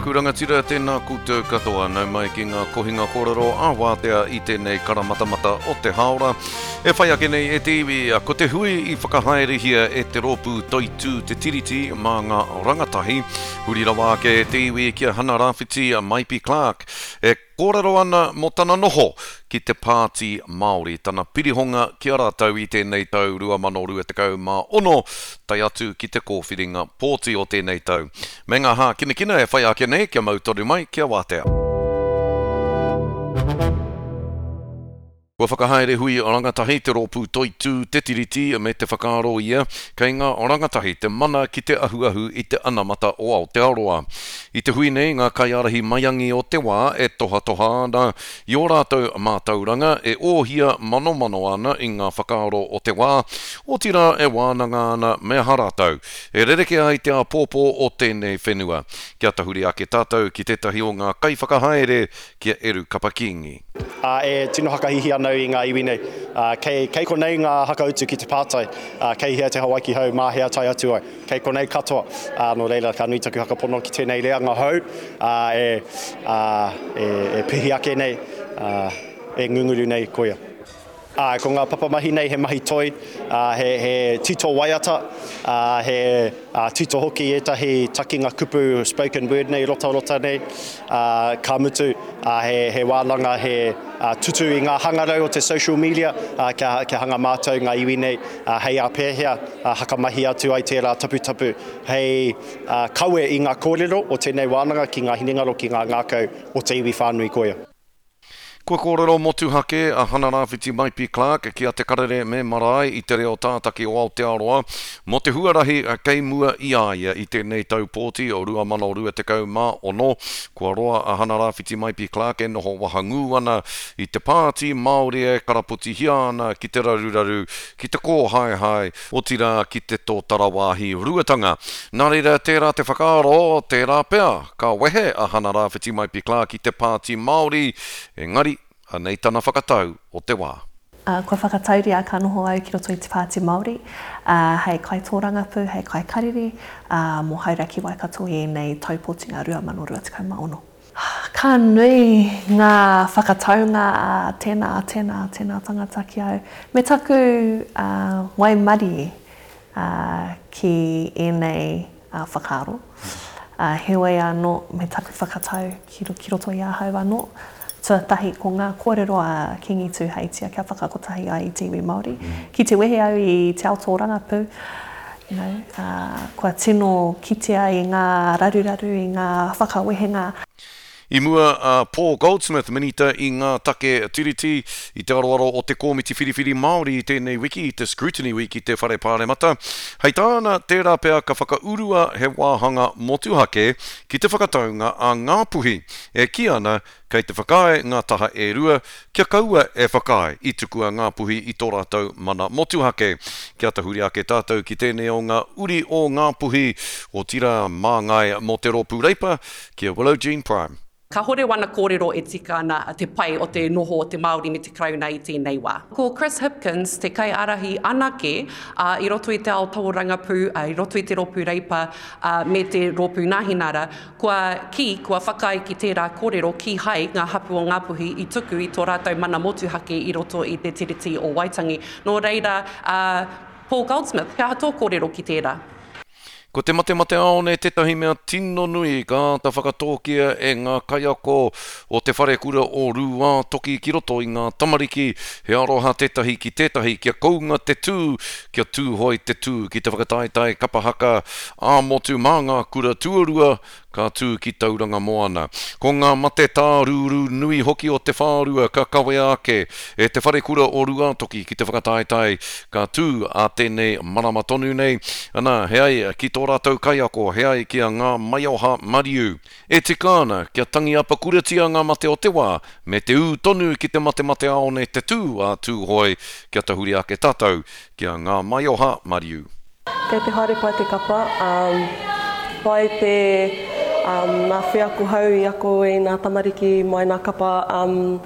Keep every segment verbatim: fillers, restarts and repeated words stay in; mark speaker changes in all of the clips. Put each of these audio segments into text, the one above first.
Speaker 1: aku rangatira, tēnā koutou katoa. Nau mai ki ngā kohinga kōrero a wātea i tēnei karamatamata o te hāora. E whai ake nei e te iwi, ko te hui i whakahaerehia e te rōpū Toitū Te Tiriti mā ngā rangatahi. Huri rawa ake e te iwi ki a Hana Rāwhiti Maipi Clark. E kōrero ana mō tana noho ki te Pāti Māori, tana pirihonga ki a rātou i tēnei tau rua mano rua tekau mā ono, tae atu ki te kōwhiringa pōti o tēnei tau. Me ngā hākinakina e whai ake nei, kia mau tonu mai, kia wātea. Kua whakahaere hui rangatahi te rōpū Toitū Te Tiriti me te whakaaro ia, kei ngā rangatahi te mana ki te ahuahu i te anamata o Aotearoa. I te hui nei ngā kaiārahi maiangi o te wā e tohatoha ana i ō rātou mātauranga, e ōhia manomano ana i ngā whakaaro o te wā, otirā e wānanga ana me aha rātou e rerekē ai te āpōpō o tēnei whenua. Kia tahuri ake tātou ki tētahi o ngā kaiwhakahaere ki a Eru Kapa Kingi.
Speaker 2: Ā, e tino hakahihi ana au i ngā iwi nei. Ā, kei, kei konei ngā hakautu ki te pātai, ā, kei hea te Hawaiki hou, mā hea tae atu ai. Kei konei katoa. Ā, nō reira, ka nui taku whakapono ki tēnei reanga hou, ā, e, ā, e, e pihi ake nei, ā, e ngunguru nei koia. Ā, ko ngā papamahi nei he mahi toi, ā, he, he tito waiata, ā, he ā, tito hoki ētahi takinga kupu spoken word nei, rotarota nei, ā, ka mutu, ā, he, he wānanga, he ā, tutu i ngā hangarau o te social media, ā, kia, kia hanga mātau ngā iwi nei, ā, hei ā pēhea, ā, hakamahi atu ai tērā taputapu hei ā, kawe i ngā kōrero o tēnei wānanga ki ngā hinengaro, ki ngā ngākau o te iwi whānui koia.
Speaker 1: Kua kōrero motuhake a Hana Rāwhiti Maipi Clark ki a Te Karere me Marae i te reo tātaki o Aotearoa mō te huarahi kei mua i a ia i tēnei tau pōti o rua mano rua tekau mā ono. Kua roa a Hana Rāwhiti Maipi Clark e noho wahangū ana i te Pāti Māori e karapotihia ana ki te raruraru, ki te kōhaehae, otirā ki te tōtara wāhi ruatanga. Nā reira, tērā te whakaaro, tērā pea, ka wehe a Hana Rāwhiti Maipi Clark i te Pāti Māori, engari, anei tana whakatau o te wā.
Speaker 3: Uh, kua whakatauria ka noho au ki roto i te Pāti Māori, uh, hei kaitōrangapū, hei kaikariri, uh, mō Hauraki Waikato i ēnei taupotinga rua mano rua tekau mā ono. Ka nui ngā whakataunga a tēnā, a tēnā, a tēnā tangata ki au. Me taku uh, waimarie uh, ki ēnei uh, whakaaro. Uh, heoi anō, me taku whakatau ki, ki roto i ahau anō. Tuatahi, ko ngā kōrero a Kingi Tūheitia kia whakakotahi ai i te iwi Māori. Ki te wehe au i te ao tōrangapū, you know, uh, kua tino kitea i ngā raruraru, i ngā whakawehenga.
Speaker 1: I mua a Paul Goldsmith, minita i ngā take tiriti, i te aroaro o te Kōmiti Whiriwhiri Māori i tēnei wiki, i te Scrutiny Week i te Whare Pāremata. Hei tāna, tērā pea ka whakaurua he wāhanga motuhake ki te whakataunga a Ngāpuhi, e kī ana kei te whakaae ngā taha e rua, kia kaua e whakaae i tukua Ngāpuhi i tō rātou mana motuhake. Kia tahuri ake tātou ki tēnei o ngā uri o Ngāpuhi, otirā māngai mō te rōpū Reipa, ki a Willow Jean Prime.
Speaker 4: Kahore wana kōrero e tika ana te pai o te noho o te Māori me te Karauna i tēnei wā. Ko Chris Hipkins te kaiārahi anake, ā, i roto i te ao tōrangapū, ā, i roto i te rōpū Reipa, ā, me te rōpū Nāhinara, kua kī, kua whakaae ki tērā kōrero kīhai ngā hapū o Ngāpuhi i tuku i tō rātou mana motuhake i roto i te Tiriti o Waitangi. Nō reira, ā, Paul Goldsmith, he aha tō kōrero ki tērā?
Speaker 1: Ko te matemateaone tētahi mea tino nui ka āta whakatōkia e ngā kaiako o te wharekura o Rūātoki ki roto i ngā tamariki, he aroha tētahi ki tētahi kia kounga te tū, kia tūhoi te tū ki te whakataetae kapa haka ā-motu mā ngā kura tuarua ka tū ki Tauranga Moana. Ko ngā mate tārūrū nui hoki o te whārua ka kawea ake e te wharekura o Rūātoki ki te whakataetae ka tū ā tēnei marama tonu nei. Ana, he ai ki tō rātou kaiako, he ai ki a Ngā Maioha Mariu. E tika ana kia tangi apakuratia ngā mate o te wā, me te ū tonu ki te matemateaone te tū a Tūhoe, kia tahuri ake tātou ki a Ngā Maioha Mariu.
Speaker 5: Kei te haere pai te kapa, um, pai te um, ngā wheako hou i ako i ngā tamariki mai ngā kapa um,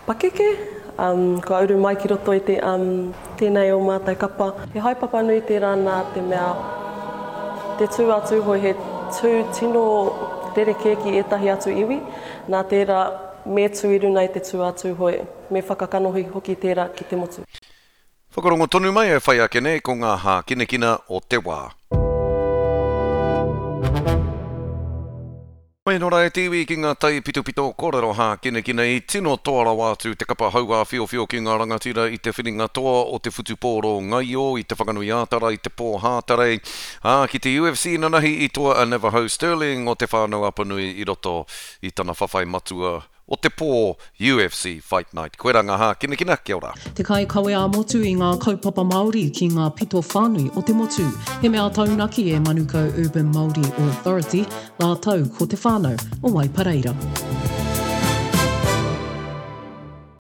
Speaker 5: pakeke, um, kua uru mai ki roto i te, um, tēnei o mātou kapa. He haepapa nui tērā nā te mea te tū a Tūhoe he tū tino rerekē ki ētahi atu iwi, nā tērā me tū i runa i te tū a Tūhoe, me whakakanohi hoki tērā ki te motu.
Speaker 1: Whakarongo tonu mai e whai ake nei ko ngā hākinakina o te wā. Mai nō rā e te iwi ki ngā taipitopito kōrero hākinakina i tino toa rawa atu te kapa hauāwhiowhio ki ngā rangatira i te whiringa toa o te whutupōro ngaio i te Whanganui-ā-Tara i te pō Hātarei, ā, ki te UFC nanahi i toa a Navajo Stirling o Te Whānau-a-Apanui i roto i tana whawhai matua o te pō UFC Fight Night. Koirā ngā hākinakina, kia ora.
Speaker 6: Te kaikawe ā-motu i ngā kaupapa Māori ki ngā pito whānui o te motu. He mea taunaki e Manukau Urban Māori Authority rātou ko te whānau o Waipareira.